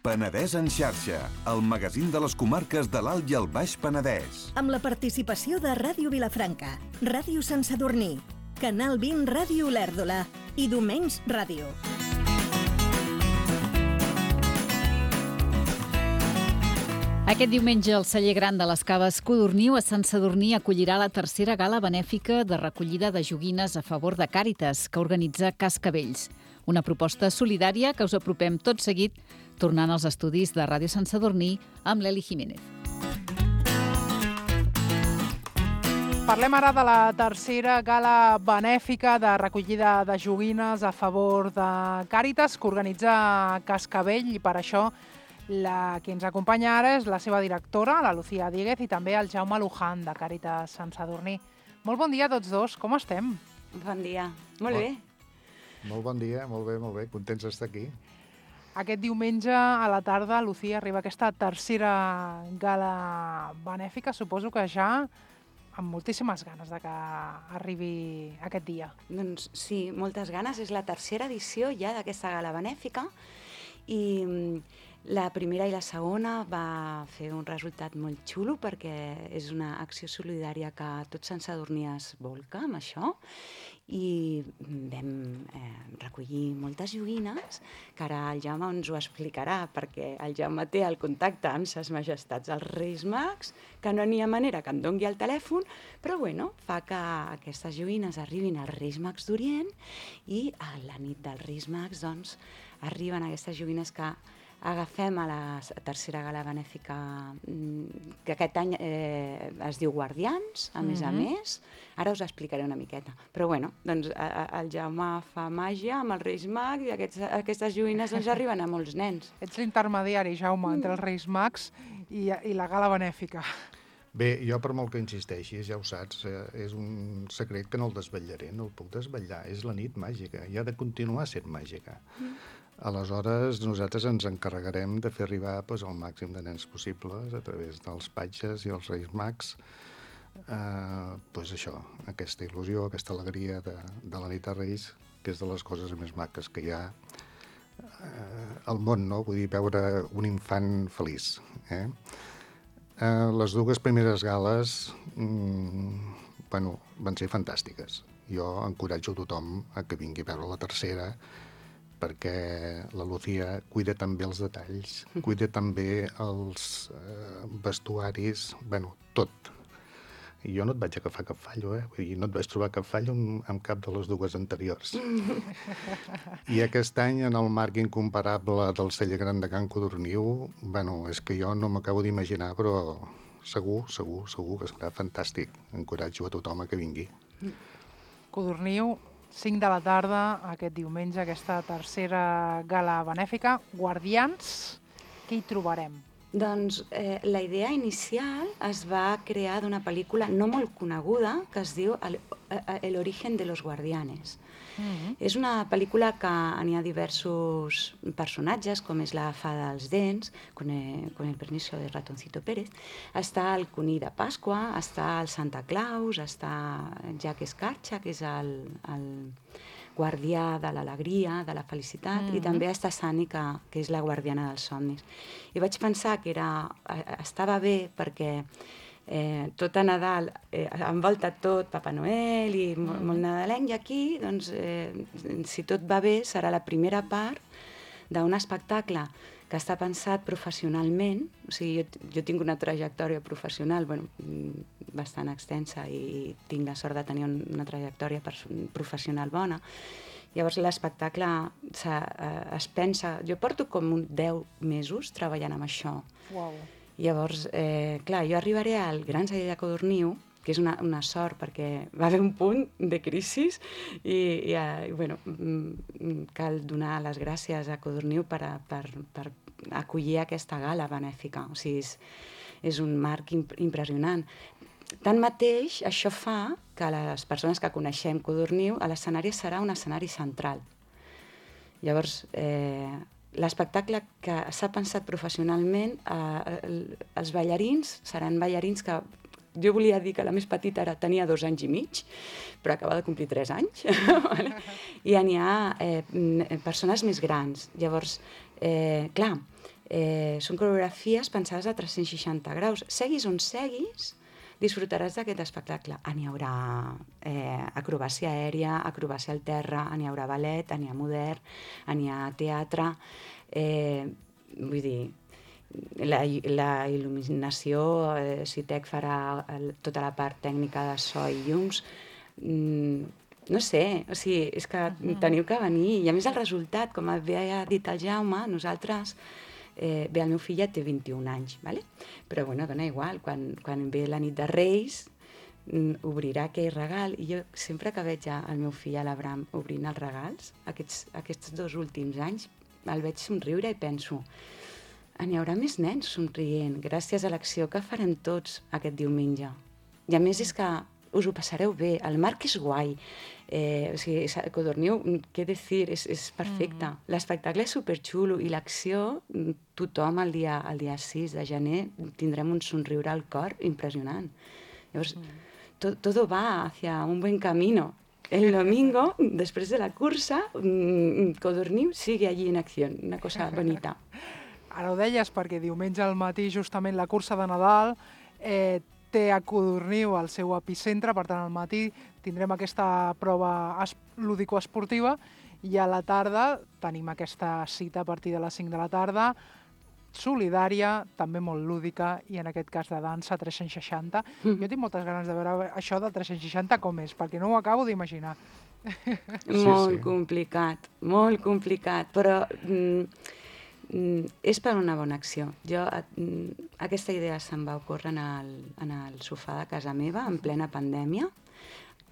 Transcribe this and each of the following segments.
Penedès en xarxa, el magazín de les comarques de l'Alt i el Baix Penedès. Amb la participació de Ràdio Vilafranca, Ràdio Sant Sadurní, Canal 20 Ràdio Olèrdola i Domenys Ràdio. Aquest diumenge el celler gran de les Caves Codorniu a Sant Sadurní acollirà la tercera gala benèfica de recollida de joguines a favor de Càritas que organitza Cascavells. Una proposta solidària que us apropem tot seguit tornant als estudis de Ràdio Sant Sadurní amb l'Eli Jiménez. Parlem ara de la tercera gala benèfica de recollida de joguines a favor de Càritas que organitza Cascavell i per això la que ens acompanya ara és la seva directora, la Lucía Díguez, i també el Jaume Luján de Càritas Sant Sadurní. Molt bon dia a tots dos, com estem? Bon dia, molt bé. Molt bon dia, molt bé, contents d'estar aquí. Aquest diumenge a la tarda, Lucía, arriba aquesta tercera gala benèfica, suposo que ja amb moltíssimes ganes de que arribi aquest dia. Doncs sí, moltes ganes. És la tercera edició ja d'aquesta gala benèfica i la primera i la segona va fer un resultat molt xulo perquè és una acció solidària que tot Sant Sadurní es volca amb això i vam recollir moltes joguines que ara el Jaume ens ho explicarà perquè el Jaume té el contacte amb ses majestats els Reis Mags, que no n'hi ha manera que em dongui el telèfon, però bueno, fa que aquestes joguines arribin als Reis Mags d'Orient i a la nit dels Reis Mags doncs arriben aquestes joguines que agafem a la tercera gala benèfica que aquest any es diu Guardians, a més a més. Ara us explicaré una miqueta. Però bueno, doncs el Jaume fa màgia amb els Reis Mags i aquestes joguines doncs arriben a molts nens. Ets l'intermediari, Jaume, entre els Reis Mags i la gala benèfica. Bé, jo per molt que insisteixis, ja ho saps, és un secret que no el desvetllaré, no el puc desvetllar. És la nit màgica i ha de continuar sent màgica. Aleshores, nosaltres ens encarregarem de fer arribar el màxim de nens possibles a través dels patges i els Reis Mags això, aquesta il·lusió, aquesta alegria de la nit de Reis, que és de les coses més maques que hi ha al món, no? Vull dir, veure un infant feliç. Les dues primeres gales van ser fantàstiques. Jo encoratjo tothom a que vingui a veure la tercera perquè la Lucía cuida també els detalls, cuida també els vestuaris, tot. I jo no et vaig agafar cap fallo, Vull dir, no et vaig trobar cap fallo amb cap de les dues anteriors. I aquest any, en el marc incomparable del celler gran de Can Codorniu, és que jo no m'acabo d'imaginar, però segur que serà fantàstic. Encoratjo a tothom a que vingui. Codorniu, 5 de la tarda, aquest diumenge, aquesta tercera gala benèfica. Guardians, què hi trobarem? Doncs la idea inicial es va crear d'una pel·lícula no molt coneguda que es diu El origen de los guardianes. És una pel·lícula que n'hi ha diversos personatges, com és la Fada dels Dents, con el permiso de Ratoncito Pérez, està el Conill de Pasqua, està el Santa Claus, està Jack Escarcha, que és el guardià de l'alegria, de la felicitat, i també està Sani, que és la guardiana dels somnis. I vaig pensar que estava bé perquè tot a Nadal envolta tot Papa Noel i molt nadalenc, i aquí, doncs, si tot va bé, serà la primera part d'un espectacle que està pensat professionalment. O sigui, jo tinc una trajectòria professional bastant extensa i tinc la sort de tenir una trajectòria professional bona. Llavors l'espectacle es pensa... Jo porto com 10 mesos treballant amb això. Uau. Llavors, clar, jo arribaré al Gran Celler de Codorniu, que és una sort perquè va haver un punt de crisi i cal donar les gràcies a Codorniu per acollir aquesta gala benèfica. O sigui, és un marc impressionant. Tanmateix, això fa que les persones que coneixem Codorniu, a l'escenari serà un escenari central. Llavors, l'espectacle que s'ha pensat professionalment, els ballarins seran ballarins que jo volia dir que la més petita tenia 2 anys i mig, però acaba de complir 3 anys. I n'hi ha persones més grans. Llavors, clar, Són coreografies pensades a 360 graus. Seguis on seguis, disfrutaràs d'aquest espectacle. N'hi haurà acrobàcia aèria, acrobàcia al terra, n'hi haurà ballet, n'hi ha modern, n'hi ha teatre. Vull dir, la il·luminació, Citec farà tota la part tècnica de so i llums. No sé, o sigui, és que teniu que venir. I a més el resultat, com bé ha dit el Jaume, nosaltres... Bé, el meu fill ja té 21 anys, ¿vale? Però bueno, dona igual, quan ve la nit de Reis obrirà aquell regal i jo sempre que veig el meu fill, a l'Abraham, obrint els regals, aquests 2 últims anys, el veig somriure i penso, n'hi haurà més nens somrient gràcies a l'acció que farem tots aquest diumenge. I a més és que us ho passareu bé, el Marc és guai, o sigui, Codorniu, què dir, és perfecte. L'espectacle és superxulo i l'acció, tothom el dia 6 de gener tindrem un somriure al cor impressionant. Llavors, todo va hacia un buen camino. El domingo, després de la cursa, Codorniu sigue allí en acció, una cosa bonita. Ara ho deies perquè diumenge al matí, justament la cursa de Nadal, té a Codorniu el seu epicentre, per tant al matí tindrem aquesta prova lúdico-esportiva i a la tarda tenim aquesta cita a partir de les 5 de la tarda, solidària, també molt lúdica i en aquest cas de dansa 360. Jo tinc moltes ganes de veure això de 360 com és, perquè no ho acabo d'imaginar. Molt complicat, però és per una bona acció. Aquesta idea se'm va ocórrer en el sofà de casa meva, en plena pandèmia.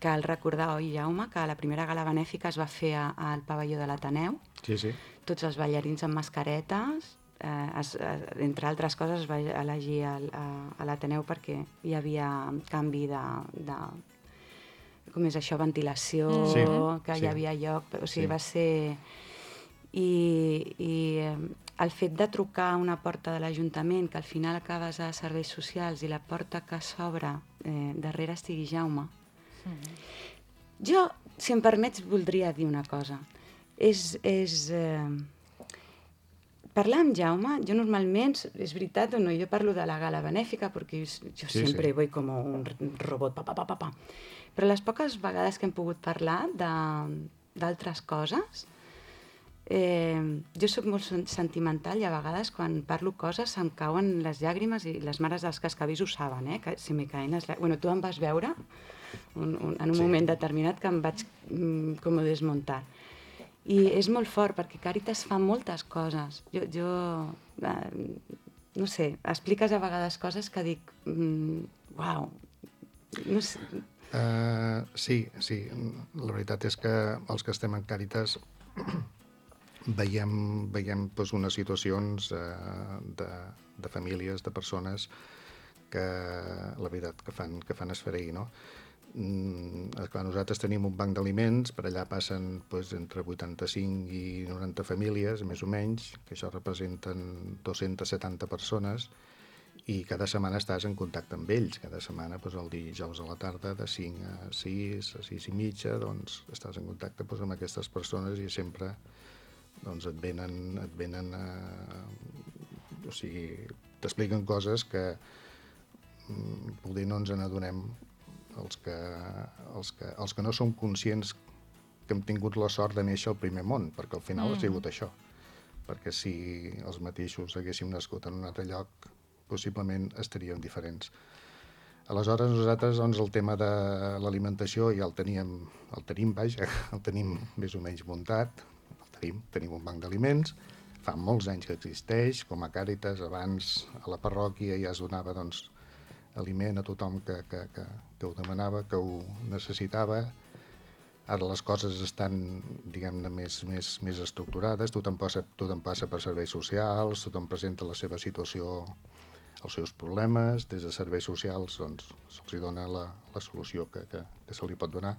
Cal recordar, oi, Jaume, que la primera gala benèfica es va fer al pavelló de l'Ateneu. Sí, sí. Tots els ballarins amb mascaretes. Entre altres coses es va elegir a l'Ateneu perquè hi havia canvi de com és això, ventilació, que hi havia lloc. O sigui, va ser... I el fet de trucar a una porta de l'Ajuntament, que al final acabes a serveis socials, i la porta que s'obre darrere estigui Jaume. Jo, si em permets, voldria dir una cosa. Parlar amb Jaume, jo normalment, és veritat o no, jo parlo de la gala benèfica perquè jo sempre voy com un robot, però les poques vegades que hem pogut parlar d'altres coses, jo soc molt sentimental i a vegades quan parlo coses se'm cauen les llàgrimes i les mares dels cascavís ho saben, que se me caen les llàgrimes. Bueno, tu em vas veure en un moment determinat que em vaig com desmuntar. I és molt fort perquè Càritas fa moltes coses. Jo no sé, expliques a vegades coses que dic, uau, no sé. Sí, la veritat és que els que estem en Càritas veiem doncs, unes situacions de famílies, de persones que la veritat que fan esfereir, no? Clar, nosaltres tenim un banc d'aliments, per allà passen doncs, entre 85 i 90 famílies, més o menys, que això representen 270 persones, i cada setmana estàs en contacte amb ells. Cada setmana, doncs, el dijous a la tarda, de 5 a 6, a 6 i mitja, doncs, estàs en contacte doncs, amb aquestes persones i sempre doncs, et venen o sigui, t'expliquen coses que poder no ens n'adonem els que no som conscients que hem tingut la sort de néixer al primer món, perquè al final ha sigut això. Perquè si els mateixos haguéssim nascut en un altre lloc, possiblement estaríem diferents. Aleshores, nosaltres doncs, el tema de l'alimentació ja el tenim més o menys muntat, tenim un banc d'aliments, fa molts anys que existeix, com a Càritas, abans a la parròquia ja es donava doncs, aliment a tothom que ho demanava, que ho necessitava. Ara les coses estan, diguem-ne, més estructurades, tothom passa per serveis socials, tothom presenta la seva situació, els seus problemes, des de serveis socials doncs, se'ls dona la solució que se li pot donar,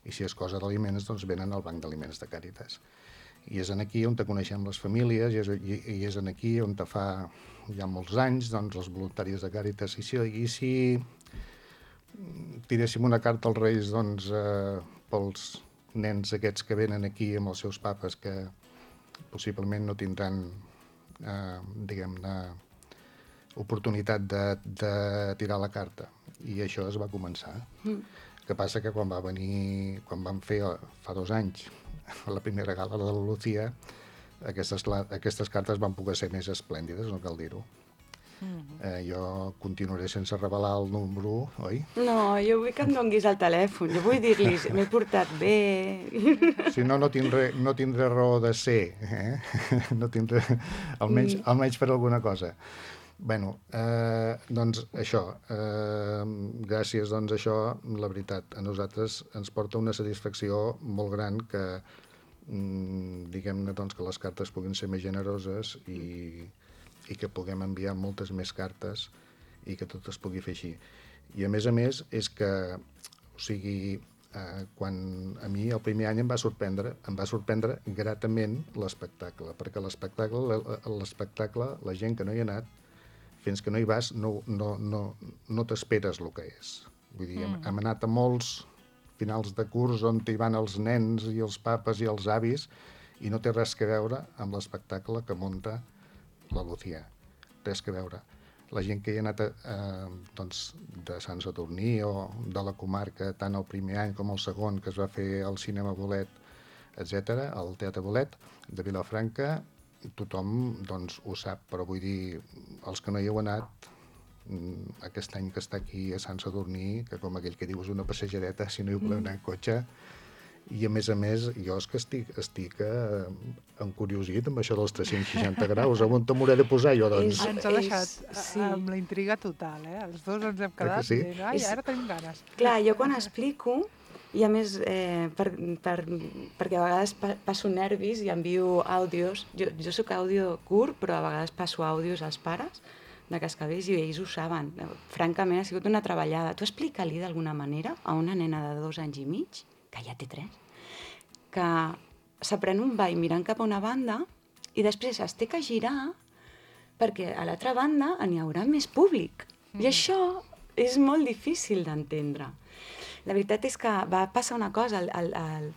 i si és cosa d'aliments, doncs venen al banc d'aliments de Càritas. I és aquí on te coneixem les famílies, i és aquí on fa ja molts anys doncs, els voluntaris de Càritas. I si tiréssim una carta als Reis doncs, pels nens aquests que venen aquí amb els seus papes que possiblement no tindran diguem-ne, oportunitat de tirar la carta. I això es va començar. El que passa que quan vam fer fa 2 anys la primera gala de la Lucía, aquestes cartes van poder ser més esplèndides, no cal dir-ho. Jo continuaré sense revelar el número, oi? No, jo vull que em donguis el telèfon. Jo vull dir-li, m'he portat bé. Si no, no tindré raó de ser. No tindré... Almenys per alguna cosa. Bueno, doncs això. Gràcies, doncs, a això, la veritat, a nosaltres ens porta una satisfacció molt gran que, diguem-ne, doncs, que les cartes puguin ser més generoses i que puguem enviar moltes més cartes i que tot es pugui fer així. I a més, és que, o sigui, quan a mi el primer any em va sorprendre gratament l'espectacle, perquè l'espectacle, la gent que no hi ha anat, fins que no hi vas, no t'esperes el que és. Vull dir, hem anat a molts finals de curs on hi van els nens i els papes i els avis i no té res a veure amb l'espectacle que munta la Lucía. Res a veure. La gent que hi ha anat doncs, de Sant Sadurní o de la comarca, tant el primer any com el segon, que es va fer al Cinema Bolet, etc., al Teatre Bolet de Vilafranca, tothom doncs, ho sap, però vull dir, els que no hi heu anat, aquest any que està aquí a Sant Sadurní, que com aquell que diu és una passejadeta, si no hi voleu anar en cotxe, i a més, jo és que estic encuriosit amb això dels 360 graus, on t'hauré de posar jo, doncs? Ens ha deixat amb la intriga total, Els dos ens hem quedat dient, ara tenim ganes. Clar, jo quan explico, i a més, perquè a vegades passo nervis i envio àudios, jo soc àudio curt, però a vegades passo àudios als pares de Cascavells i ells ho saben. Francament, ha sigut una treballada. Tu explica-li d'alguna manera a una nena de 2 anys i mig, que ja té 3, que s'aprèn un ball mirant cap a una banda i després es té que girar perquè a l'altra banda n'hi haurà més públic. I això és molt difícil d'entendre. La veritat és que va passar una cosa,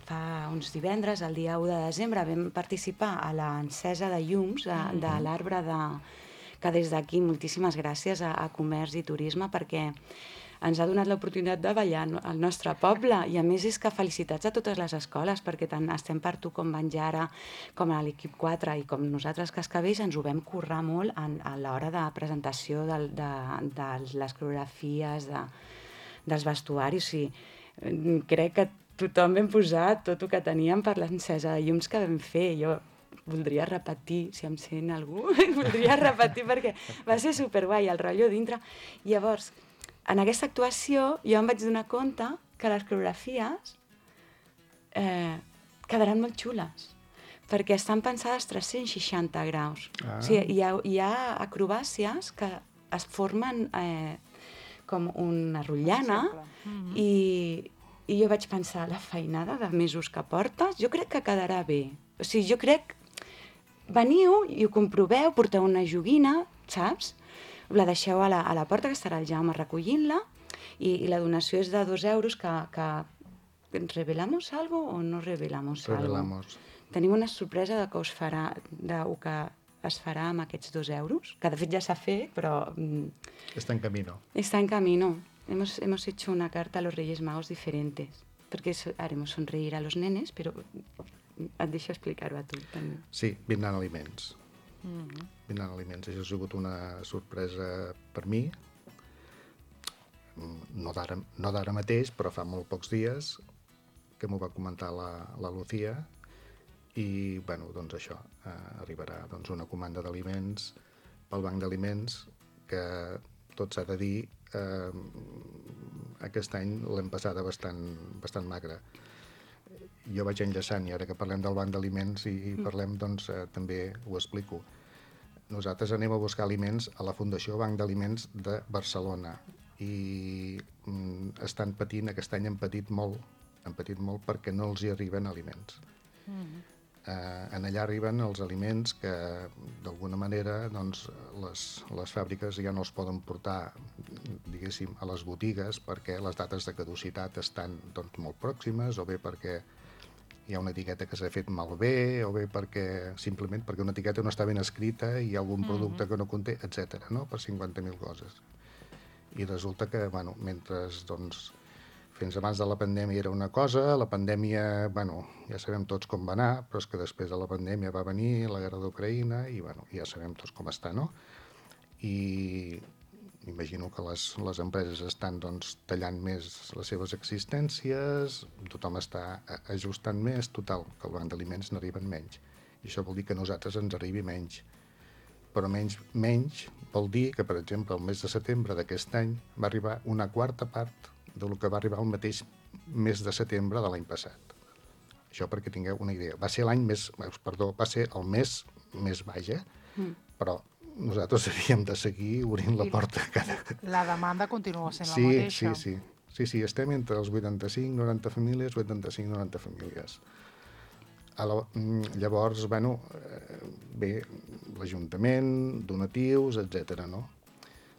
fa uns divendres, el dia 1 de desembre, vam participar a l'encesa de llums de l'arbre que des d'aquí moltíssimes gràcies a Comerç i Turisme perquè ens ha donat l'oportunitat de ballar al nostre poble i a més és que felicitats a totes les escoles perquè tant estem per tu com Banjara, com a l'equip 4 i com nosaltres Cascavells ens ho vam currar molt a l'hora de presentació de les coreografies, dels vestuaris. Crec que tothom vam posar tot el que teníem per l'encesa de llums que vam fer. Jo voldria repetir, si em sent algú, voldria repetir perquè va ser superguai, el rotllo dintre. Llavors, en aquesta actuació jo em vaig donar compte que les coreografies quedaran molt xules, perquè estan pensades 360 graus. O sigui, hi ha acrobàcies que es formen com una rotllana i jo vaig pensar, la feinada de mesos que portes, jo crec que quedarà bé. O sigui, jo crec... Veniu i ho comproveu, porteu una joguina, saps? La deixeu a la porta, que estarà el Jaume recollint-la, i la donació és de 2 euros, que ¿revelamos algo o no revelamos algo? Revelamos. Tenim una sorpresa de que es farà amb aquests 2 euros, que de fet ja s'ha fet, però... Está en camino. Está en camino. Hemos hecho una carta a los Reyes Magos diferentes, porque haremos sonreír a los nenes, però et deixo explicar-ho a tu, també. Sí, vindran aliments. Vindran aliments. Això ha sigut una sorpresa per mi, no d'ara mateix, però fa molt pocs dies que m'ho va comentar la Lucía i, bueno, doncs això, arribarà doncs, una comanda d'aliments pel banc d'aliments que, tot s'ha de dir, aquest any l'hem passada bastant magra. Jo vaig enllaçant, i ara que parlem del banc d'aliments i parlem, doncs, també ho explico. Nosaltres anem a buscar aliments a la Fundació Banc d'Aliments de Barcelona i estan patint, aquest any han patit molt perquè no els hi arriben aliments. En allà arriben els aliments que, d'alguna manera, doncs, les fàbriques ja no els poden portar, diguéssim, a les botigues perquè les dates de caducitat estan, doncs, molt pròximes, o bé perquè hi ha una etiqueta que s'ha fet malbé, o bé simplement perquè una etiqueta no està ben escrita i hi ha algun producte que no conté, etc. no? Per 50.000 coses. I resulta que, bueno, mentre, doncs, fins abans de la pandèmia era una cosa, la pandèmia, bueno, ja sabem tots com va anar, però és que després de la pandèmia va venir la guerra d'Ucraïna i, bueno, ja sabem tots com està, no? I imagino que les empreses estan, doncs, tallant més les seves existències, tothom està ajustant més, total, que el banc d'aliments n'arriben menys. I això vol dir que a nosaltres ens arribi menys. Però menys vol dir que, per exemple, el mes de setembre d'aquest any va arribar una quarta part del que va arribar el mateix mes de setembre de l'any passat. Això perquè tingueu una idea. Va ser el mes més baix, però nosaltres havíem de seguir obrint la porta cada... La demanda continua sent la mateixa. Sí, estem entre els 85-90 famílies, 85-90 famílies. Llavors, bueno, bé, l'Ajuntament, donatius, etc. no?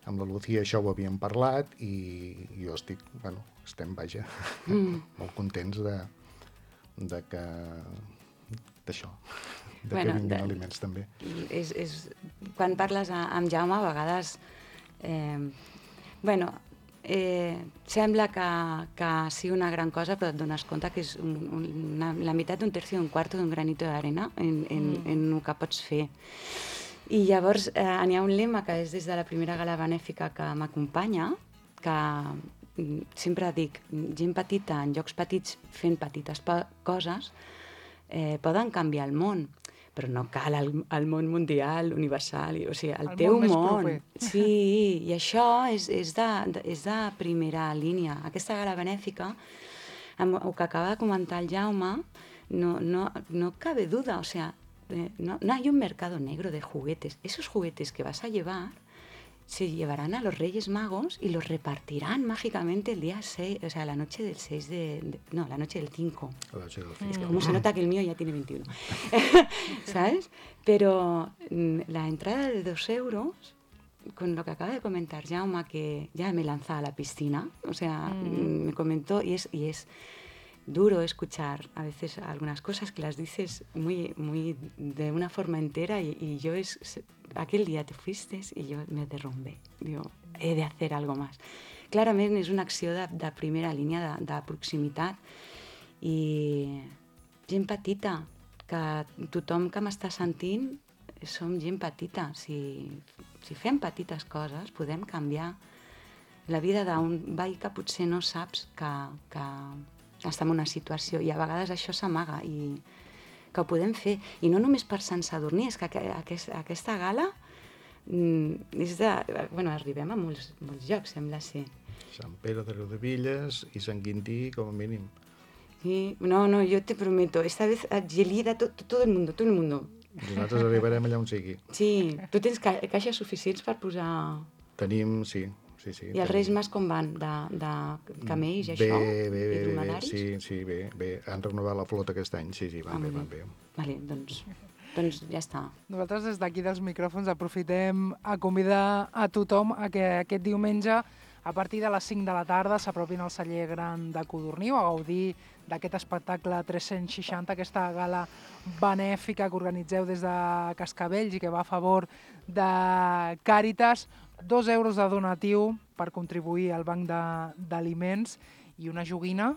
Amb la Lucía això ho havíem parlat i jo estem, vaja, molt contents d'això, que vinguin aliments també. Quan parles amb Jaume, a vegades, sembla que sigui una gran cosa, però et dones compte que és la meitat d'un tercio d'un quarto d'un granito d'arena en el que pots fer. I llavors n'hi ha un lema que és des de la primera gala benèfica que m'acompanya, que sempre dic, gent petita en llocs petits fent petites coses poden canviar el món, però no cal el món mundial, universal, o sigui, el teu món. Sí, i això és de primera línia. Aquesta gala benèfica, amb el que acaba de comentar el Jaume, no cabe duda, o sea, no hay un mercado negro de juguetes. Esos juguetes que vas a llevar se llevarán a los Reyes Magos y los repartirán mágicamente el día 6, o sea, la noche del 6 no, la noche del 5. Es que como se nota que el mío ya tiene 21. ¿Sabes? Pero la entrada de 2 euros, con lo que acaba de comentar Jaume, que ya me lanza a la piscina, o sea, me comentó, y es duro escuchar a veces algunas cosas que las dices muy de una forma entera y yo aquel día te fuiste y yo me derrumbé. Digo, he de hacer algo más. Clarament és una acció de primera línia, de proximitat i gent petita, que tothom que m'està sentint som gent petita. Si fem petites coses podem canviar la vida d'un veí que potser no saps que està en una situació i a vegades això s'amaga i que ho podem fer. I no només per Sant Sadurní, és que aquesta gala arribem a molts llocs, sembla ser. Sant Pere de Riudebitlles i Sant Quintí, com a mínim. Sí, no, yo te prometo, esta vez Gelida, todo el mundo. Nosaltres arribarem allà on sigui. Sí, tu tens caixes suficients per posar... Tenim, sí. I els Reis Mas com van? De camells i això? I dromedaris? Sí, bé. Han renovat la flota aquest any, sí, van bé. Vale, doncs ja està. Nosaltres des d'aquí dels micròfons aprofitem a convidar a tothom a que aquest diumenge a partir de les 5 de la tarda s'apropin al celler gran de Codorniu a gaudir d'aquest espectacle 360, aquesta gala benèfica que organitzeu des de Cascavells i que va a favor de Càritas. 2 euros de donatiu per contribuir al banc d'aliments i una joguina.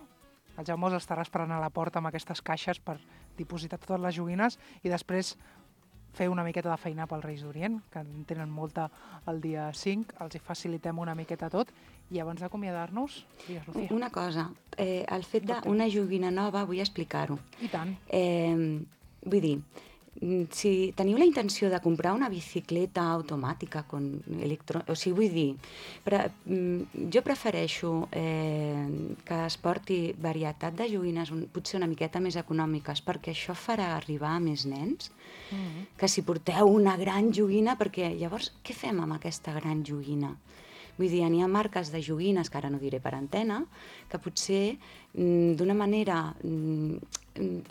El Jaume us estarà esperant a la porta amb aquestes caixes per dipositar totes les joguines i després fer una miqueta de feina pels Reis d'Orient, que en tenen molta el dia 5, els hi facilitem una miqueta tot. I abans d'acomiadar-nos, digues, Lucía. Una cosa, el fet d'una joguina nova, vull explicar-ho. I tant. Vull dir, si teniu la intenció de comprar una bicicleta automàtica, o sigui, vull dir, jo prefereixo que es porti varietat de joguines potser una miqueta més econòmiques, perquè això farà arribar a més nens, que si porteu una gran joguina, perquè llavors què fem amb aquesta gran joguina? Vull dir, n'hi ha marques de joguines, que ara no diré per antena, que potser d'una manera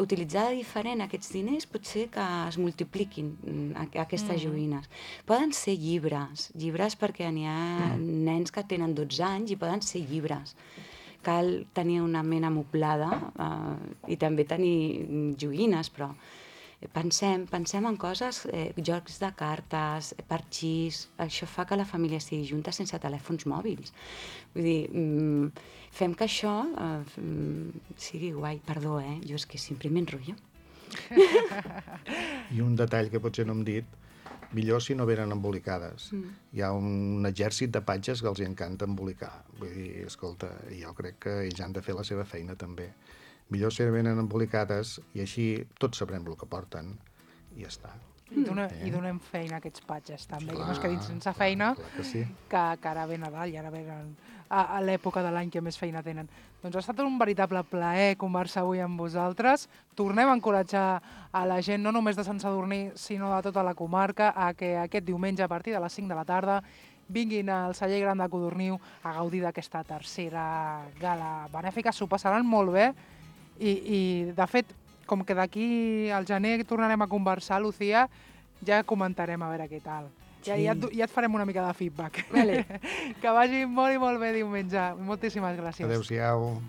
utilitzada diferent aquests diners pot ser que es multipliquin aquestes joguines. Poden ser llibres perquè n'hi ha nens que tenen 12 anys i poden ser llibres cal tenir una ment amoblada i també tenir joguines, però pensem en coses, jocs de cartes, parxís, això fa que la família estigui junta sense telèfons mòbils. Vull dir, fem que això sigui guai. Perdó, jo és que sempre m'enrotllo. I un detall que potser no hem dit, millor si no venen embolicades. Hi ha un exèrcit de patges que els encanta embolicar. Vull dir, escolta, jo crec que ells han de fer la seva feina també. Millor si venen embolicades i així tots sabrem el que porten i ja està. I donem feina a aquests patges també, que no es quedin sense feina, que ara ve Nadal i ara venen a l'època de l'any que més feina tenen. Doncs ha estat un veritable plaer conversar avui amb vosaltres. Tornem a encoratjar a la gent, no només de Sant Sadurní, sinó de tota la comarca, a que aquest diumenge a partir de les 5 de la tarda vinguin al Celler Gran de Codorniu a gaudir d'aquesta tercera gala benèfica. S'ho passaran molt bé i de fet, com que d'aquí al gener tornarem a conversar, Lucía, ja comentarem a veure què tal. Ja et farem una mica de feedback. Vale. Que vagi molt i molt bé diumenge. Moltíssimes gràcies. Adéu-siau.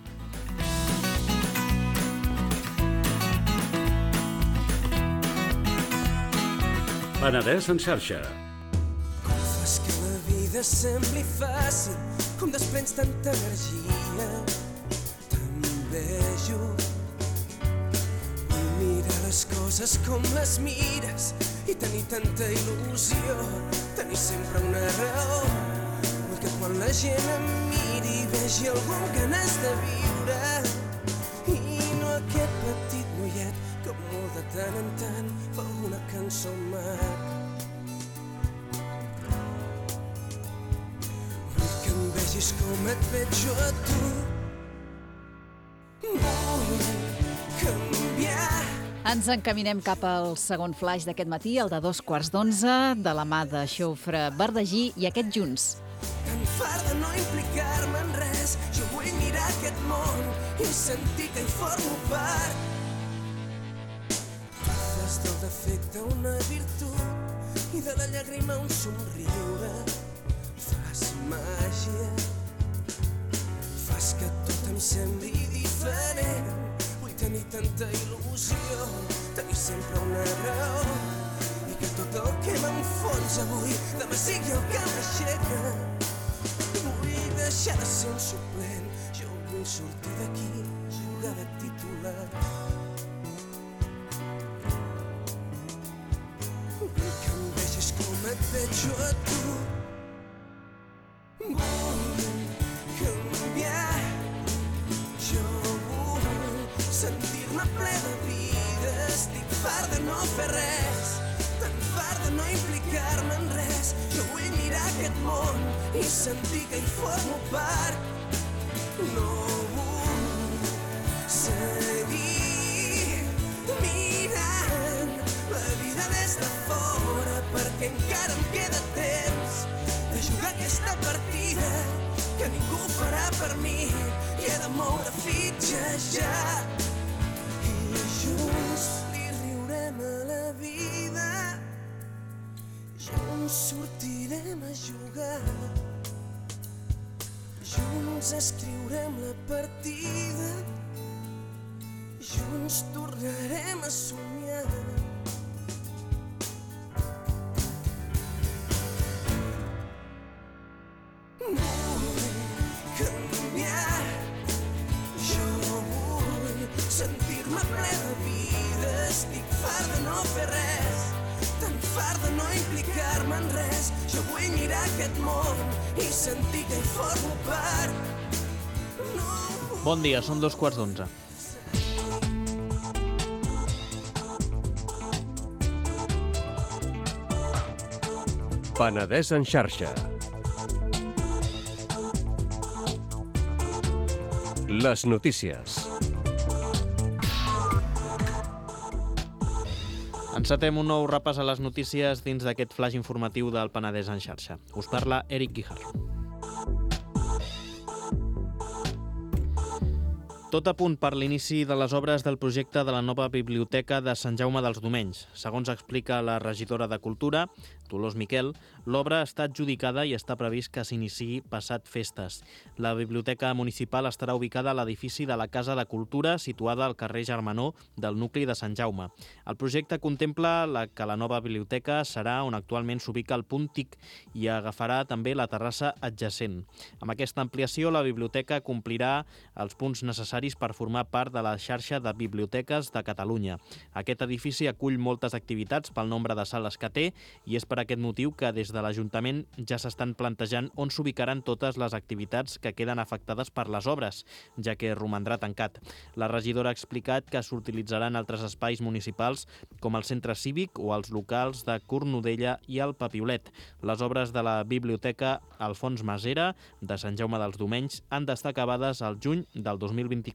Penedès en xarxa. Fas que la vida sembli fàcil, com desprens tanta energia. T'envejo. Vull mirar les coses com les mires i tenir tanta il·lusió, tenir sempre una raó. Vull que quan la gent em miri vegi algú amb ganes de viure i no aquest petit noiet que molt de tant en tant fa una cançó maca. Vull que em vegis com et veig jo a tu. Vull canviar. Ens encaminem cap al segon flaix d'aquest matí, el de 2:15, de la mà de Xofre Verdagí i aquest Junts. Tan fart de no implicar-me en res, jo vull mirar aquest món i sentir que hi formo part. Fas del defecte una virtut i de la llàgrima un somriure. Fas màgia, fas que tot em sembli diferent. Tenir tanta il·lusió, tenir sempre una raó i que tot el que m'enfonsa avui demà sigui el que m'aixeca. Vull deixar de ser un suplent, jo vull sortir d'aquí, jugar de titular. Vull que em vegis com et veig jo a tu. Vull canviar, jo sentir-me ple de vida. Estic fart de no fer res, tan fart de no implicar-me en res. Jo vull mirar aquest món i sentir que hi formo part. No vull seguir mirant la vida des de fora, perquè encara em queda temps de jugar aquesta partida que ningú farà per mi i he de moure fitxes ja. Junts li riurem a la vida, junts sortirem a jugar, junts escriurem la partida, junts tornarem a somiar. Vull canviar, jo vull sentir-me ple de vida. Estic fart de no fer res, tan fart de no implicar-me en res. Jo vull mirar aquest món i sentir que hi formo part. Bon dia, són 2:15. Penedès en xarxa. Les notícies. Encetem un nou repàs a les notícies dins d'aquest flaix informatiu del Penedès en xarxa. Us parla Eric Guijarro. Tot a punt per l'inici de les obres del projecte de la nova biblioteca de Sant Jaume dels Domenys. Segons explica la regidora de Cultura, Dolors Miquel, l'obra està adjudicada i està previst que s'iniciï passat festes. La biblioteca municipal estarà ubicada a l'edifici de la Casa de Cultura, situada al carrer Germanó del nucli de Sant Jaume. El projecte contempla que la nova biblioteca serà on actualment s'ubica el punt TIC i agafarà també la terrassa adjacent. Amb aquesta ampliació, la biblioteca complirà els punts necessaris per formar part de la xarxa de biblioteques de Catalunya. Aquest edifici acull moltes activitats pel nombre de sales que té i és per aquest motiu que des de l'Ajuntament ja s'estan plantejant on s'ubicaran totes les activitats que queden afectades per les obres, ja que romandrà tancat. La regidora ha explicat que s'utilitzaran altres espais municipals com el centre cívic o els locals de Cornudella i el Papiolet. Les obres de la biblioteca Alfons Masera de Sant Jaume dels Domenys han d'estar acabades al juny del 2024.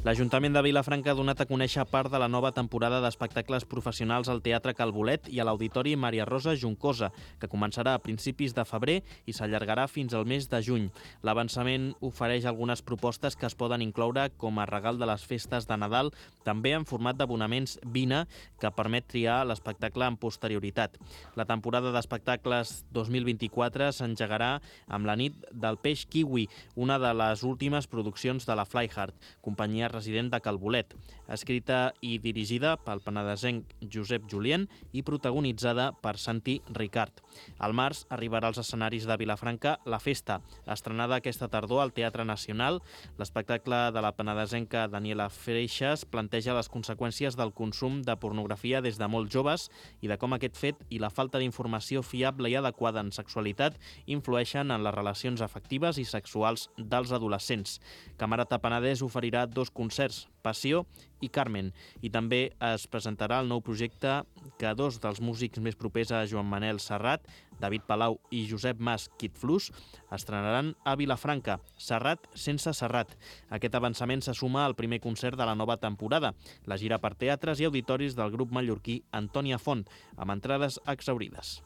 L'Ajuntament de Vilafranca ha donat a conèixer part de la nova temporada d'espectacles professionals al Teatre Calbolet i a l'Auditori Maria Rosa Juncosa, que començarà a principis de febrer i s'allargarà fins al mes de juny. L'avançament ofereix algunes propostes que es poden incloure com a regal de les festes de Nadal, també en format d'abonaments Vina, que permet triar l'espectacle amb posterioritat. La temporada d'espectacles 2024 s'engegarà amb la nit del peix kiwi, una de les últimes produccions de la Flyhard, companyia resident de Calbolet, escrita i dirigida pel penedesenc Josep Julien i protagonitzada per Santi Ricard. Al març arribarà als escenaris de Vilafranca La Festa, estrenada aquesta tardor al Teatre Nacional. L'espectacle de la penedesenca Daniela Freixas planteja les conseqüències del consum de pornografia des de molt joves i de com aquest fet i la falta d'informació fiable i adequada en sexualitat influeixen en les relacions afectives i sexuals dels adolescents. Camerata Penedès oferirà 2 concerts, Passió i Carmen, i també es presentarà el nou projecte que 2 dels músics més propers a Joan Manel Serrat, David Palau i Josep Mas Quitflus, estrenaran a Vilafranca, Serrat sense Serrat. Aquest avançament se suma al primer concert de la nova temporada, la gira per teatres i auditoris del grup mallorquí Antònia Font, amb entrades exhaurides.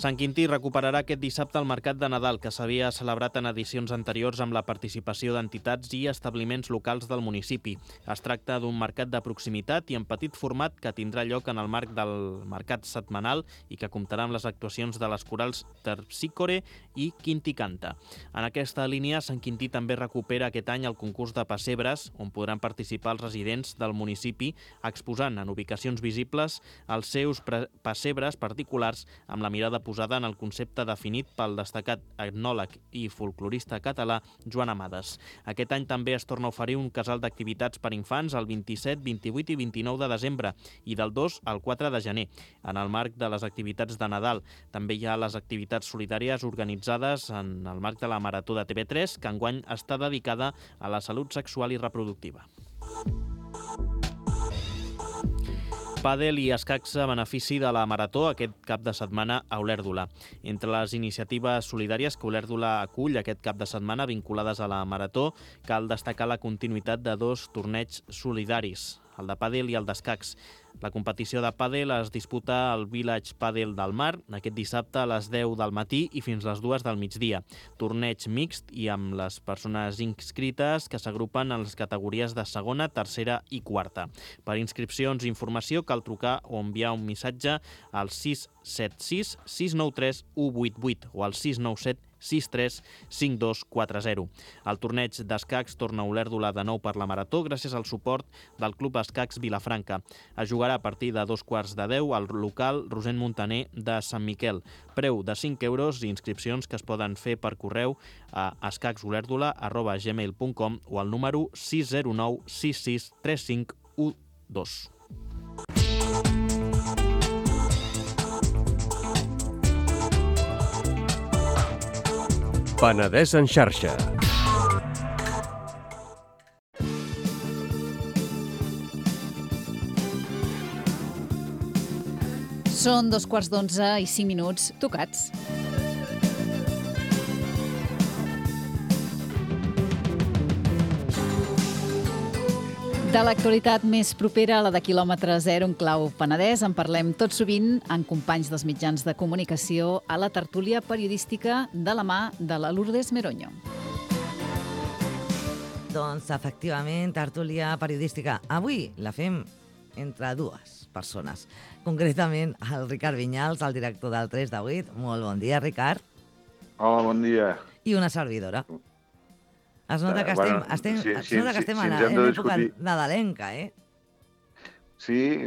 Sant Quintí recuperarà aquest dissabte el Mercat de Nadal, que s'havia celebrat en edicions anteriors amb la participació d'entitats i establiments locals del municipi. Es tracta d'un mercat de proximitat i en petit format que tindrà lloc en el marc del mercat setmanal i que comptarà amb les actuacions de les corals Terpsícore i Quintí Canta. En aquesta línia, Sant Quintí també recupera aquest any el concurs de pessebres, on podran participar els residents del municipi exposant en ubicacions visibles els seus pessebres particulars amb la mirada posada en el concepte definit pel destacat etnòleg i folclorista català Joan Amades. Aquest any també es torna a oferir un casal d'activitats per infants el 27, 28 i 29 de desembre i del 2 al 4 de gener. En el marc de les activitats de Nadal també hi ha les activitats solidàries organitzades en el marc de la Marató de TV3, que enguany està dedicada a la salut sexual i reproductiva. Pàdel i escacs a benefici de la Marató aquest cap de setmana a Olèrdola. Entre les iniciatives solidàries que Olèrdola acull aquest cap de setmana vinculades a la Marató, cal destacar la continuïtat de 2 torneigs solidaris, el de pàdel i el d'escacs. La competició de pàdel es disputa al Village Pàdel del Mar aquest dissabte a les 10 del matí i fins les 2 del migdia. Torneig mixt i amb les persones inscrites que s'agrupen en les categories de segona, tercera i quarta. Per inscripcions i informació cal trucar o enviar un missatge al 676 693 188 o al 697 63 5240. El torneig d'escacs torna a Olèrdola de nou per la Marató gràcies al suport del Club Escacs Vilafranca. Es jugarà a partir de 2:15 al local Rosent Montaner de Sant Miquel. Preu de 5 euros i inscripcions que es poden fer per correu a escacsolerdola@gmail.com o al número 609 66 35 12. Penedès en xarxa. Són 11:15 i 5 minuts tocats. De l'actualitat més propera a la de quilòmetre zero en clau Penedès en parlem tot sovint amb companys dels mitjans de comunicació a la tertúlia periodística de la mà de la Lourdes Meroño. Doncs, efectivament, tertúlia periodística. Avui la fem entre dues persones. Concretament, el Ricard Vinyals, el director del 3 de 8. Molt bon dia, Ricard. Hola, bon dia. I una servidora. Es nota que estem en l'època nadalenca, eh? Sí,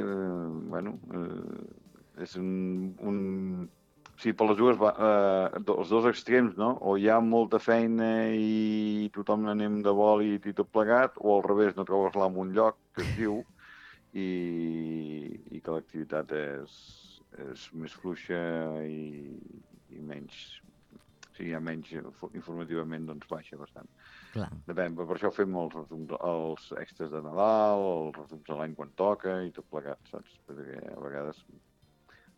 és sí, per les dues, els dos extrems, no? O hi ha molta feina i tothom anem de bòlit i tot plegat, o al revés, no trobes l'amo un lloc, que es diu, i que l'activitat és més fluixa i menys... O sigui, menys informativament, doncs baixa bastant. Clar. Depèn, per això fem els extras de Nadal, els resums de l'any quan toca i tot plegat, saps? Perquè a vegades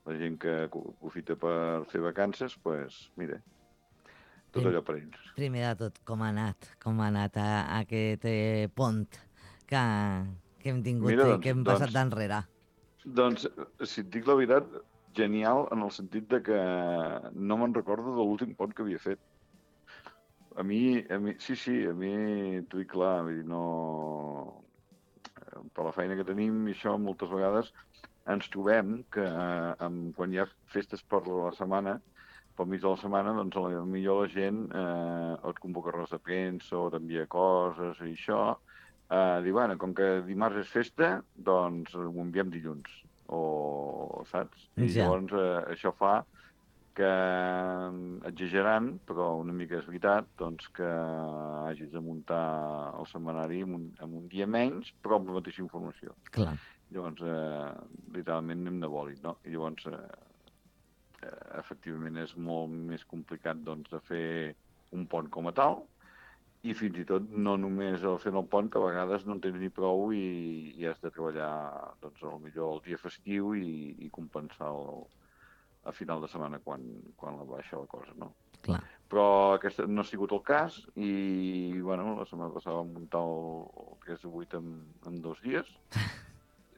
la gent que aprofita per fer vacances, doncs, mira, tot allò per ells. Primer de tot, com ha anat aquest pont que hem tingut i que hem passat d'enrere? Doncs, si et dic la veritat, genial en el sentit de que no me'n recordo de l'últim pont que havia fet. A mi, t'ho dic clar, vull dir, no... Per la feina que tenim i això, moltes vegades ens trobem que quan hi ha festes per la setmana, pel mig de la setmana, doncs millor la gent et convoca res de premsa o t'envia coses i això. Diu, bueno, com que dimarts és festa, doncs ho enviem dilluns. O saps? I llavors això fa que, exagerant, però una mica és veritat, doncs que hagis de muntar el setmanari en un dia menys, però amb la mateixa informació. Clar. Llavors, literalment anem de bòlit, no? I llavors, efectivament, és molt més complicat doncs, de fer un pont com a tal, i fins i tot no només fent el pont, que a vegades no en tens ni prou i has de treballar doncs, millor el dia festiu i compensar a final de setmana quan la baixa la cosa, no? Clar. Però aquest no ha sigut el cas i, bueno, la setmana passada vam muntar el 3 de 8 en 2 dies.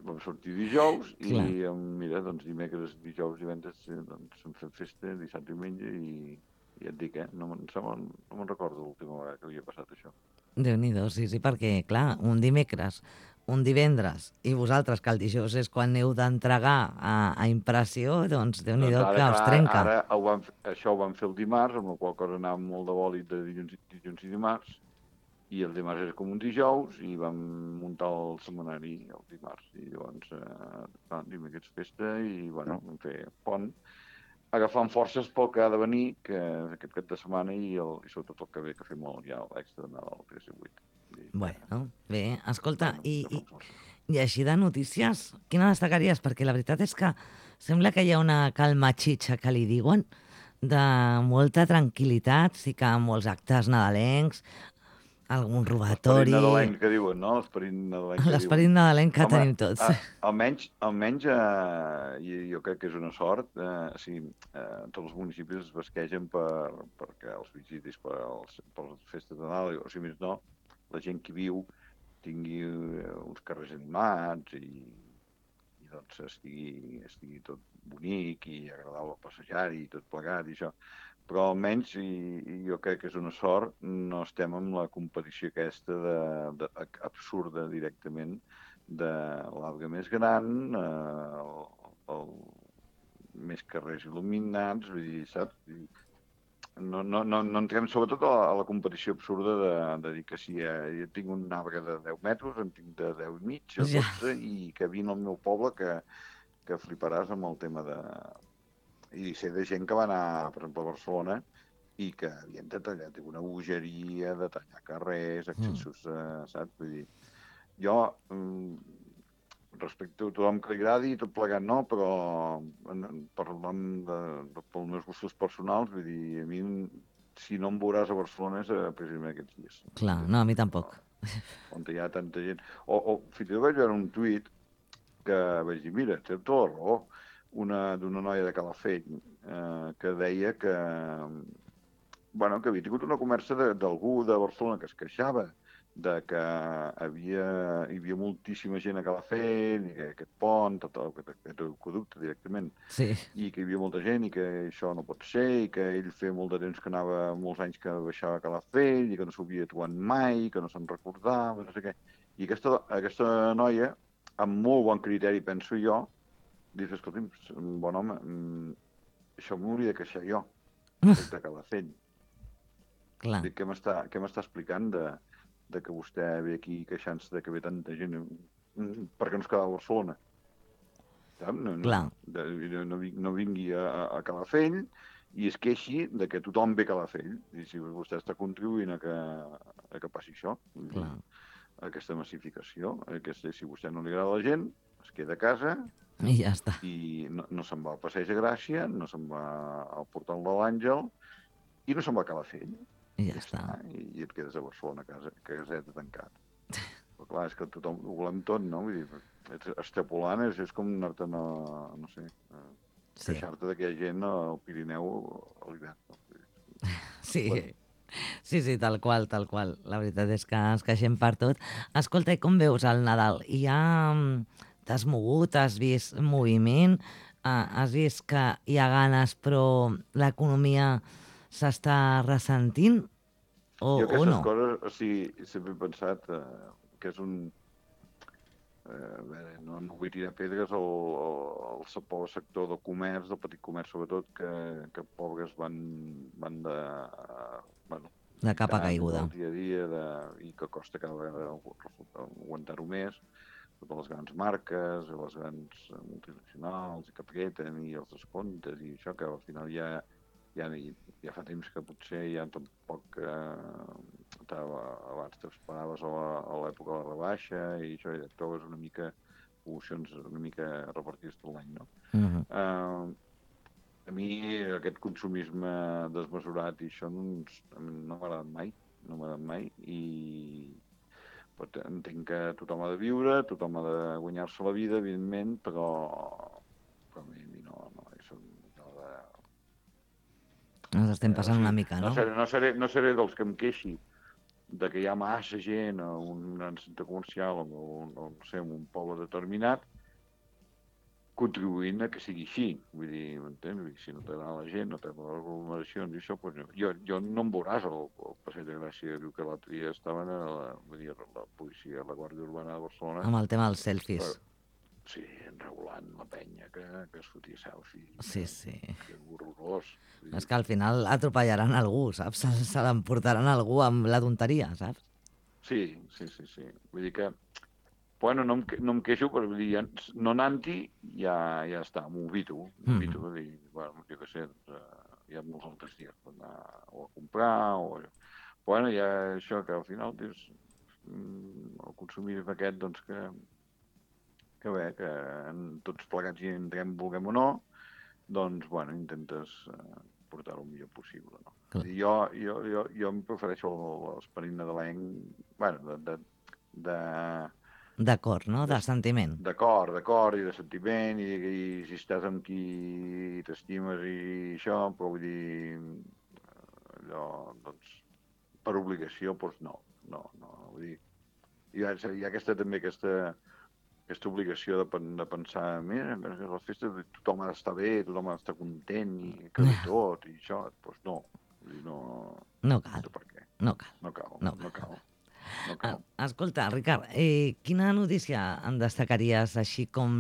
Vam sortir dijous i, mira, doncs dimecres, dijous i divendres doncs hem fet festa, dissabte i diumenge i ja et dic, no me'n recordo l'última vegada que havia passat això. Déu-n'hi-do, sí, perquè, clar, un dimecres, un divendres, i vosaltres, que el dijous és quan heu d'entregar a impressió, doncs Déu-n'hi-do que us trenca. Ara això ho vam fer el dimarts, amb la qual cosa anàvem molt de bòlit de dilluns i dimarts, i el dimarts era com un dijous, i vam muntar el setmanari el dimarts. I llavors, dimecres festa, i, bueno, vam fer pont, agafant forces pel que ha de venir, que aquest cap de setmana i sobretot el que ve, que fem ja l'extra de Nadal, 3 i 8. Bueno, bé, escolta, i així de notícies, quina destacaries? Perquè la veritat és que sembla que hi ha una calma xitxa que li diuen, de molta tranquil·litat, sí que molts actes nadalencs, algun robatori... L'esperit nadalenc que diuen, no? L'esperit nadalenc que tenim tots. Almenys, jo crec que és una sort, tots els municipis es basquegen perquè els visitis per les festes de Nadal, o si més no, la gent que viu tingui uns carrers animats i doncs estigui tot bonic i agradable passejar-hi i tot plegat i això. Però almenys, i jo crec que és una sort, no estem amb la competició aquesta absurda directament de l'arbre més gran, més carrers il·luminats, vull dir, saps? No entrem sobretot a la competició absurda de dir que si jo tinc un arbre de 10 metres, en tinc de 10 i mig o 12 i que vine al meu poble que fliparàs amb el tema de... I sé de gent que va anar, per exemple, a Barcelona i que havien de tallar una bogeria, de tallar carrers, accessos, saps? Vull dir, jo respecte a tothom que li agradi i tot plegat no, però parlant pels meus gustos personals, vull dir, a mi, si no em veuràs a Barcelona és precisament aquests dies. Clar, no, a mi tampoc. On hi ha tanta gent. O fins i tot vaig veure un tuit que vaig dir, mira, té tota la raó, d'una noia de Calafell que deia que havia tingut una conversa d'algú de Barcelona que es queixava de que hi havia moltíssima gent a Calafell, i que aquest pont, tot aquest aqüeducte directament, Sí. i que hi havia molta gent i que això no pot ser, i que ell feia molt de temps que anava, molts anys que baixava a Calafell, i que no s'havia trobat mai, que no se'n recordava, no sé què. I aquesta noia, amb molt bon criteri, penso jo, dius, escolti'm, bon home, això m'hauria de queixar jo, de Calafell. Clar. Què m'està explicant de que vostè ve aquí queixant-se de que ve tanta gent perquè no es quedava a Barcelona? No vingui a Calafell i es queixi de que tothom ve a Calafell. I si vostè està contribuint a que passi això, aquesta massificació, si a vostè no li agrada la gent, es queda a casa i ja està. I no se'n va al Passeig de Gràcia, no se'n va al Portal de l'Àngel i no se'n va a Calafell. I ja està. I et quedes a Barcelona, caseta tancat. Però clar, és que tothom ho volem tot, no? Vull dir, extrapolant és com anar-te, no sé, queixar-te de que hi ha gent al Pirineu a l'hivern. Sí, tal qual. La veritat és que ens queixem per tot. Escolta, i com veus el Nadal? T'has mogut, has vist moviment, has vist que hi ha ganes però l'economia s'està ressentint o no? Jo aquestes coses, o sigui, sempre he pensat que és un... no vull tirar pedres al sector del comerç, del petit comerç sobretot, que pobres van de... de capa caiguda. Del dia a dia i que costa cada vegada aguantar-ho més. Totes les grans marques, les grans multinacionals, i que apreten, i els descomptes, i això, que al final ja fa temps que potser ja tampoc abans t'esperaves a l'època de la rebaixa i això, ja et trobes una mica promocions una mica repartides tot l'any, no? A mi aquest consumisme desmesurat i això no m'ha agradat mai i entenc que tothom ha de viure, tothom ha de guanyar-se la vida, evidentment, però a mi no, això ens estem passant una mica, no? No seré dels que em queixi de que hi ha massa gent a un gran centre comercial o no sé, en un poble determinat, contribuint a que sigui així. Vull dir, m'entens? Si no t'agrada la gent, no t'agrada les aglomeracions i això, doncs jo no em veuràs al Passeig de Gràcia. Diu que l'altre dia estaven la policia, la Guàrdia Urbana de Barcelona... Amb el tema dels selfies. Sí, enregulant la penya que es fotia selfies. Sí. Que horrorós. És que al final atropellaran algú, saps? Se l'emportaran algú amb la tonteria, saps? Sí. Vull dir que... Bueno, no em queixo, però vull dir, no anant-hi ja està, m'ho evito. Vull dir, bueno, jo què sé, hi ha molts altres dies per anar o a comprar o... Bueno, hi ha això que al final dius, el consumisme aquest, doncs que tots plegats hi entrem, vulguem o no, doncs, bueno, intentes portar-ho el millor possible, no? Jo em prefereixo l'esperit nadalenc, bueno, D'acord, no? De sentiment. D'acord, i de sentiment, i si estàs amb qui t'estimes i això, però vull dir, allò, doncs, per obligació, doncs no, vull dir, hi ha aquesta obligació de pensar, mira, que a les festes tothom ha d'estar bé, tothom ha d'estar content, i que tot, i això, doncs no, vull dir, no cal. Per què? No cal. Escolta, Ricard, quina notícia en destacaries així com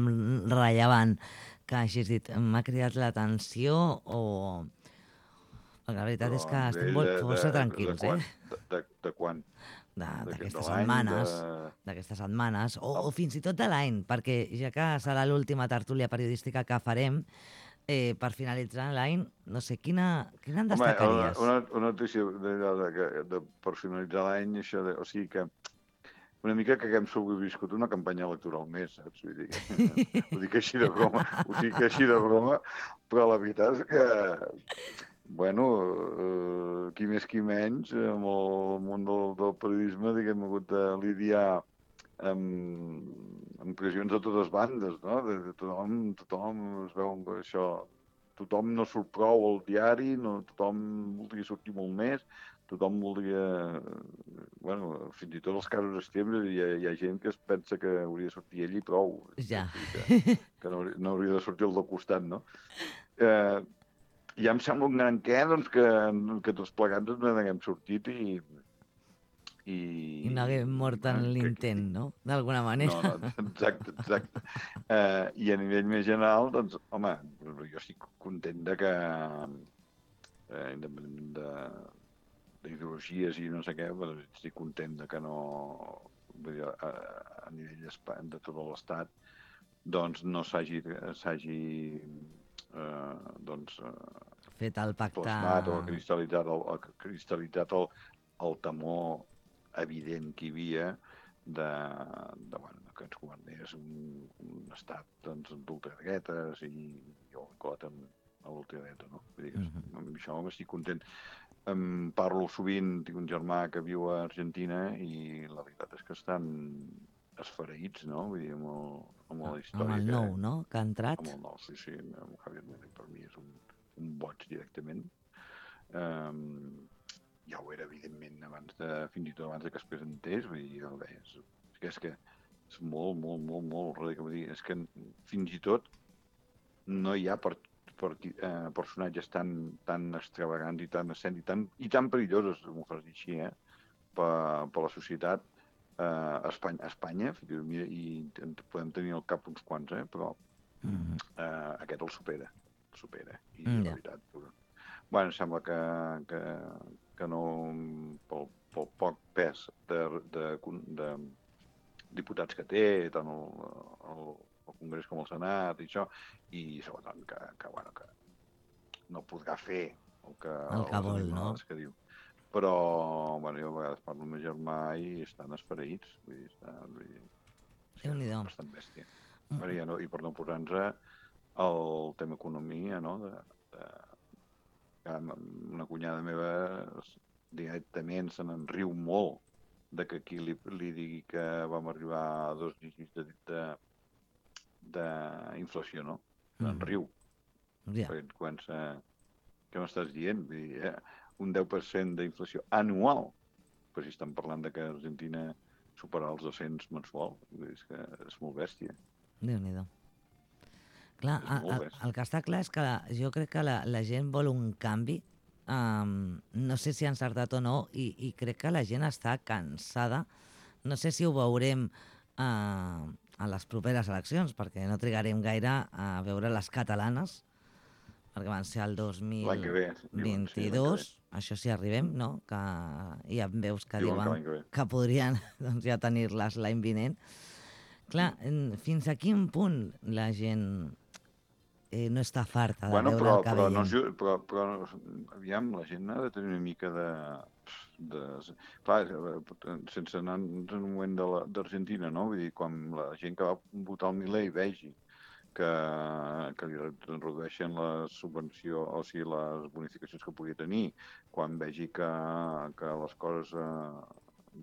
rellevant que hagis dit? M'ha cridat l'atenció o... La veritat és que estem força tranquils, De quan? D'aquestes setmanes, o fins i tot de l'any, perquè ja que serà l'última tertúlia periodística que farem, per finalitzar l'any, no sé, quina en destacaries? Una notícia per finalitzar l'any, o sigui que una mica que hem sobreviscut una campanya electoral més, saps? Vull dir, ho dic així de broma, però la veritat és que, bueno, qui més qui menys, amb el món del periodisme, diguem, ha hagut de lidiar amb pressions de totes bandes, no? Tothom es veu això, tothom no surt prou al diari, tothom voldria sortir molt més, tothom voldria... Bueno, fins i tot els casos extrems hi ha gent que es pensa que hauria de sortir ell i prou. Ja. Que no hauria de sortir el del costat, no? Ja em sembla un gran què, doncs, que tots plegats ens n'haguem sortit i no haguem mort en l'intent, no? D'alguna manera. No, exacte. I a nivell més general, doncs, home, jo estic content de que, independentment d'ideologies i no sé què, però estic content de que no, vull dir, a nivell de tot l'Estat, doncs no s'hagi fet el pacte... plasmat o cristal·litzat el temor evident que hi havia que ens governés un estat d'ultradretes i jo cot amb l'ultradreta, no? Vull dir, amb això m'estic content. Parlo sovint, tinc un germà que viu a Argentina i la veritat és que estan esfereïts, no? Vull dir, amb la història. Amb el nou, no?, que ha entrat. Amb el nou, sí, amb Javier Milei per mi és un boig directament. Ja ho era, evidentment, fins i tot abans que es presentés, vull dir, és que és molt radical. Vull dir, és que fins i tot no hi ha personatges tan extravagants i tan escènics i tan perillosos, m'ho fas dir així, per la societat a Espanya, i podem tenir al cap uns quants, però aquest el supera, i la veritat... Bueno, sembla que no, pel poc pes de diputats que té, tant el Congrés com el Senat i això, i sobretot que no podrà fer el que vol, no? Que diu. Però, bueno, jo a vegades parlo amb el meu germà i estan esfereïts, vull dir, Déu-n'hi-do. Bastant bèstia. I per no posar-nos el tema economia, no?, una cunyada meva directament se n'enriu molt de que aquí li digui que vam arribar a 2 dígits d'inflació, no? S'enriu. Perquè et comença... Què m'estàs dient? Vull dir, un 10% d'inflació anual. Però si estan parlant de que Argentina superarà els 200 mensual. És que és molt bèstia. Déu-n'hi-do. Clar, el que està clar és que jo crec que la gent vol un canvi, no sé si ha encertat o no, i crec que la gent està cansada. No sé si ho veurem a les properes eleccions, perquè no trigarem gaire a veure les catalanes, perquè van ser el 2022, això sí arribem, no? Que hi ha veus que diuen que podrien ja tenir-les l'any vinent. Clar, fins a quin punt la gent no està farta de veure el que veiem? Però, aviam, la gent ha de tenir una mica de... Clar, sense anar en un moment d'Argentina, no? Vull dir, quan la gent que va votar el Milei vegi que li redueixen la subvenció, o sigui, les bonificacions que pugui tenir, quan vegi que les coses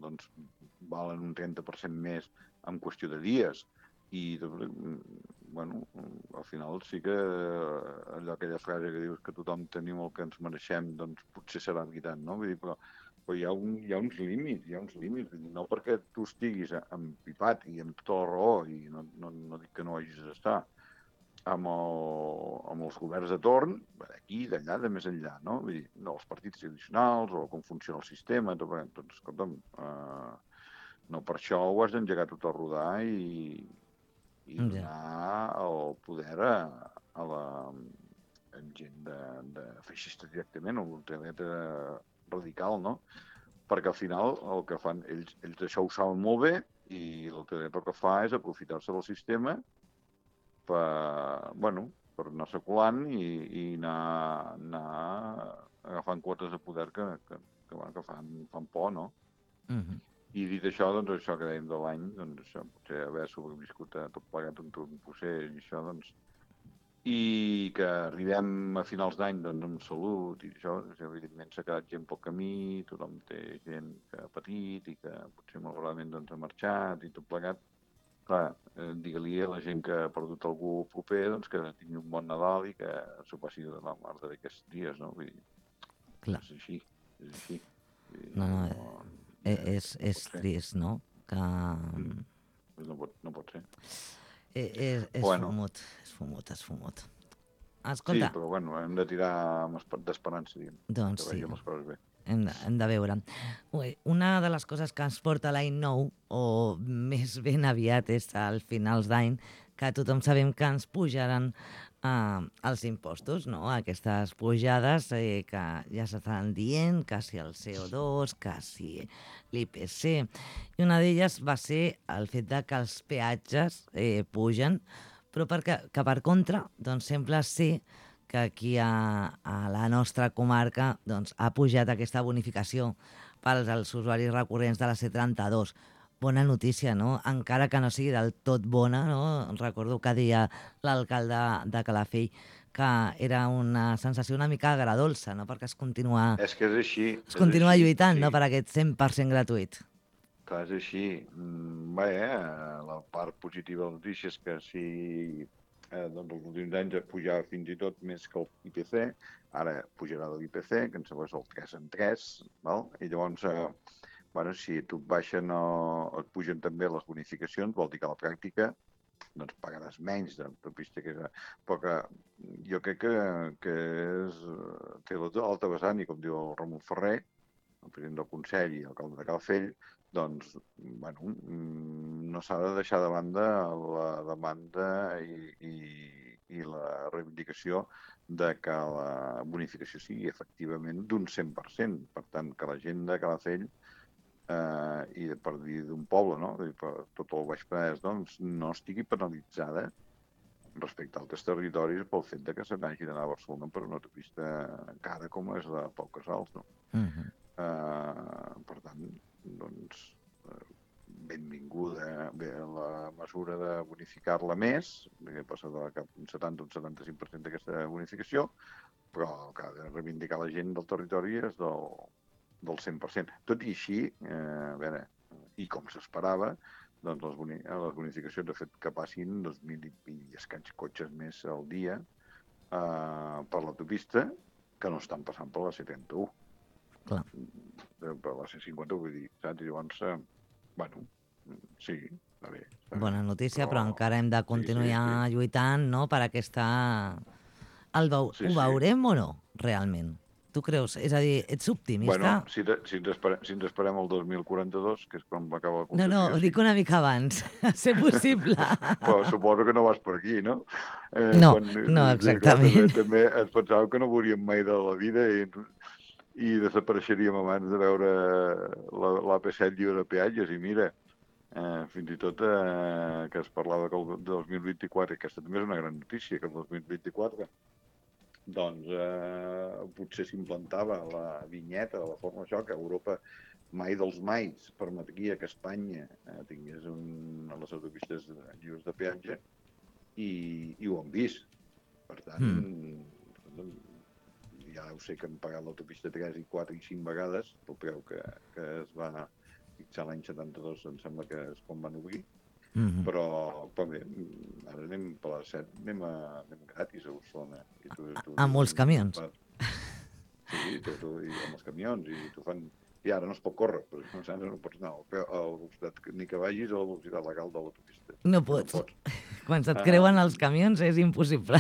doncs, valen un 30% més en qüestió de dies, i bueno, al final sí que allò, aquella frase que dius que tothom tenim el que ens mereixem, doncs potser serà veritat, no? Vull dir, però hi ha uns límits, no perquè tu estiguis empipat i amb tota la raó, i no dic que no hagis d'estar, amb els governs de torn, d'aquí, d'allà, de més enllà, no? Vull dir, els partits tradicionals, o com funciona el sistema, doncs, escolta'm, no per això ho has d'engegar tot a rodar i donar el poder a la gent de feixista directament, o l'ultradreta radical, no? Perquè al final el que fan, ells això ho saben molt bé, i l'ultradreta el que fa és aprofitar-se del sistema per anar circulant i anar agafant quotes de poder que fan por, no? I dit això, doncs això que dèiem de l'any, doncs això, potser haver sobreviscut a tot plegat un procés i això, doncs, i que arribem a finals d'any doncs, amb salut i això, evidentment s'ha quedat gent pel camí, tothom té gent que ha patit i que potser malauradament doncs, ha marxat i tot plegat. Clar, digue-li a la gent que ha perdut algú proper doncs, que tingui un bon Nadal i que s'ho passi de la mar d'aquests dies, no? Vull dir, clar. És així. És trist, no? Que... No pot ser. És fumut. Escolta... Sí, però bueno, hem de tirar d'esperança, diguem. Doncs sí. Que vegin les coses bé. Hem de veure. Una de les coses que ens porta l'any nou, o més ben aviat és al finals d'any, que tothom sabem que ens pujaran els impostos, no? Aquestes pujades que ja s'estan dient, que si el CO2, que si l'IPC. I una d'elles va ser el fet de que els peatges pugen, però que per contra doncs, sembla ser que aquí a la nostra comarca doncs, ha pujat aquesta bonificació pels usuaris recurrents de la C32. Bona notícia, no? Encara que no sigui del tot bona, no? Recordo que deia l'alcalde de Calafell que era una sensació una mica agradolça, no? Perquè es continua... És que és així. Es continua lluitant, sí. No? Per aquest 100% gratuït. Clar, és així. Bé, la part positiva de la notícia és que si... doncs els últims anys pujava fins i tot més que l'IPC, ara pujarà de l'IPC, que ens sembla el 3 en 3, val? I llavors, si tu et baixen o et pugen també les bonificacions, vol dir que a la pràctica doncs pagaràs menys d'autopista, però que jo crec que té l'alta vessant, i com diu el Ramon Ferrer, el president del Consell i l'alcalde de Calafell, doncs, no s'ha de deixar de banda la demanda i la reivindicació de que la bonificació sigui efectivament d'un 100%. Per tant, que la gent de Calafell, i per dir d'un poble, no? Per tot el Baix Penedès, doncs, no estigui penalitzada respecte a altres territoris pel fet de que se n'hagi d'anar a Barcelona per una autopista cara com és la Pau Casals, no? Per tant, doncs, benvinguda la mesura de bonificar-la més, que passa de cap un 70 o un 75% d'aquesta bonificació, però el que ha de reivindicar la gent del territori és del 100%. Tot i així, i com s'esperava, doncs les bonificacions han fet que passin 2.000 i escaig cotxes més al dia per l'autopista que no estan passant per la C31. Clar. Per la C50, vull dir, saps? I llavors, sí, està bé. Bona notícia, però encara hem de continuar lluitant, no?, per aquesta... Ho veurem o no, realment? Tu creus? És a dir, ets optimista? Bueno, si ens esperem el 2042, que és quan va acabar la concessió... No, dic una mica abans, a ser possible. Però suposo que no vas per aquí, no? No, exactament. També ens pensàvem que no veuríem mai de la vida i desapareixeríem abans de veure l'AP7 lliure de peatges. I mira, fins i tot que es parlava que el 2024, i aquesta també és una gran notícia, que el 2024 doncs potser s'implantava la vinyeta de la forma això, que Europa mai dels mais permetria que Espanya tingués les autopistes lliures de peatge, i ho hem vist. Per tant, ja ho sé que hem pagat l'autopista 3 i 4 i 5 vegades, pel preu que es va fixar l'any 72, em sembla que és quan van obrir, però bé, ara anem per la 7, anem gratis a Barcelona. Amb els camions. Sí, i amb els camions, i t'ho fan... I ara no es pot córrer, però no pots anar a la velocitat ni que vagis a la velocitat legal de l'autopista. No pots. Quan se't creuen els camions és impossible.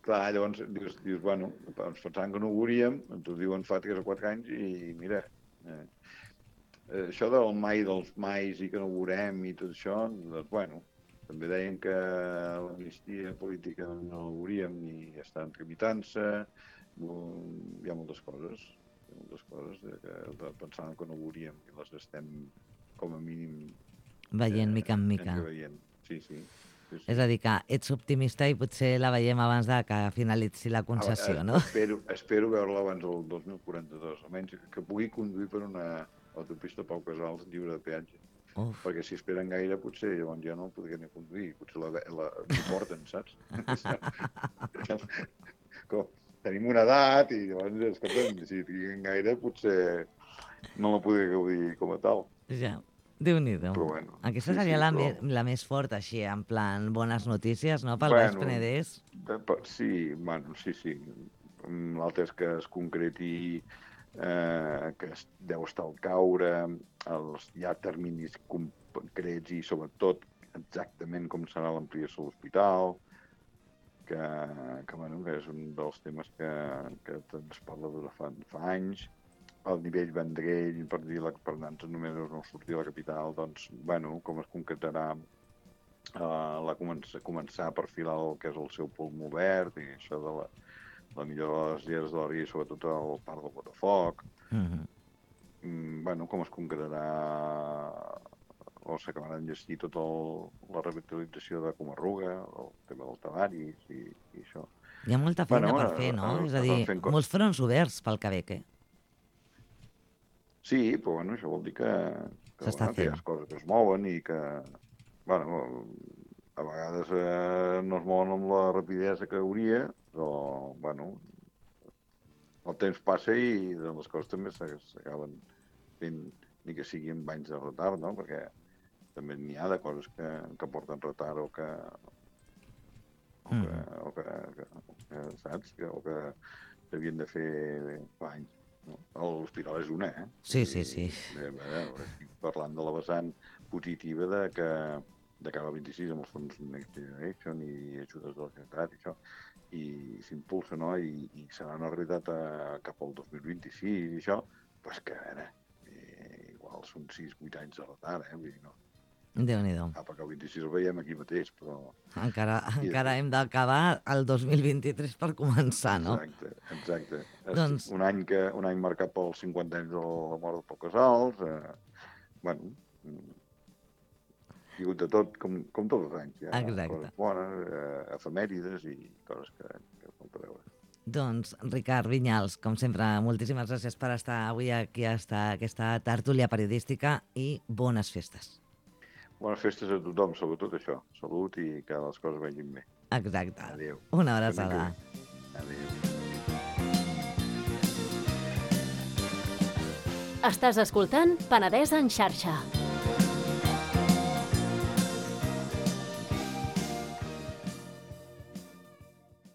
Clar, llavors dius, bueno, ens pensàvem que no ho veuríem, ens ho diuen fa 3 o 4 anys, i mira, això del mai dels mais i que no ho veurem i tot això, doncs, bueno, també deien que l'amnistia política no ho veuríem i estan tramitant-se, hi ha moltes coses que pensàvem que no ho veuríem i les estem, com a mínim, veient mica en mica. Sí. És a dir, que ets optimista i potser la veiem abans de que finalitzi la concessió, no? Espero veure-la abans del 2042, almenys que pugui conduir per una autopista Pau Casals lliure de peatge. Perquè si esperen gaire, potser llavors ja no podrien conduir, potser la porten, saps? Tenim una edat i llavors, escolta'm, si triguen gaire, potser no la podré gaudir com a tal. Ja. Déu-n'hi-do. Bueno, aquesta seria la més forta, així, en plan bones notícies, no?, pel Baix Penedès. Sí. L'altre és que es concreti que deu estar al caure, hi ha terminis concrets i sobretot exactament com serà l'ampliació de l'hospital, que és un dels temes que es parla de fa anys. El nivell Vendrell, per dir per nans números no sortir de la capital, doncs, com es concretarà començar a perfilar el que és el seu pulmó verd i això de la millora de les lleres de la via i sobretot el parc del Botafoc. Com es concretarà o s'acabarà d'enllestir tota la revitalització de Comarruga, el tema del Tavaris i això. Hi ha molta feina per fer, no? És a dir, molts fronts oberts pel Quebec, Sí, però això vol dir que hi ha coses que es mouen i que, a vegades no es mouen amb la rapidesa que hauria, però, el temps passa i les coses també s'acaben fent, ni que sigui amb anys de retard, no? Perquè també n'hi ha de coses que porten retard o que saps? O que s'havien de fer fa anys. L'hospital és una, Sí. Estic parlant de la vessant positiva de cara al 26 amb els fons Next Generation i ajudes de la Generalitat i això, i s'impulsa, no? I serà una realitat cap al 2026 i això, doncs que, a veure, igual són 6-8 anys de retard, vull dir, no? Déu-n'hi-do. Perquè el 26 el veiem aquí mateix, però... Encara hem d'acabar el 2023 per començar, no? Exacte. Doncs... Un any marcat pels 50 anys de la mort de Pau Casals, hi ha hagut de tot, com tots els anys. Hi ha coses bones, efemèrides i coses que falta veure. Doncs, Ricard Vinyals, com sempre, moltíssimes gràcies per estar avui aquí a aquesta tertúlia periodística i bones festes. Bones festes a tothom, sobretot això. Salut i que les coses vagin bé. Exacte. Adéu. Una abraçada. Adéu. Estàs escoltant Penedès en xarxa.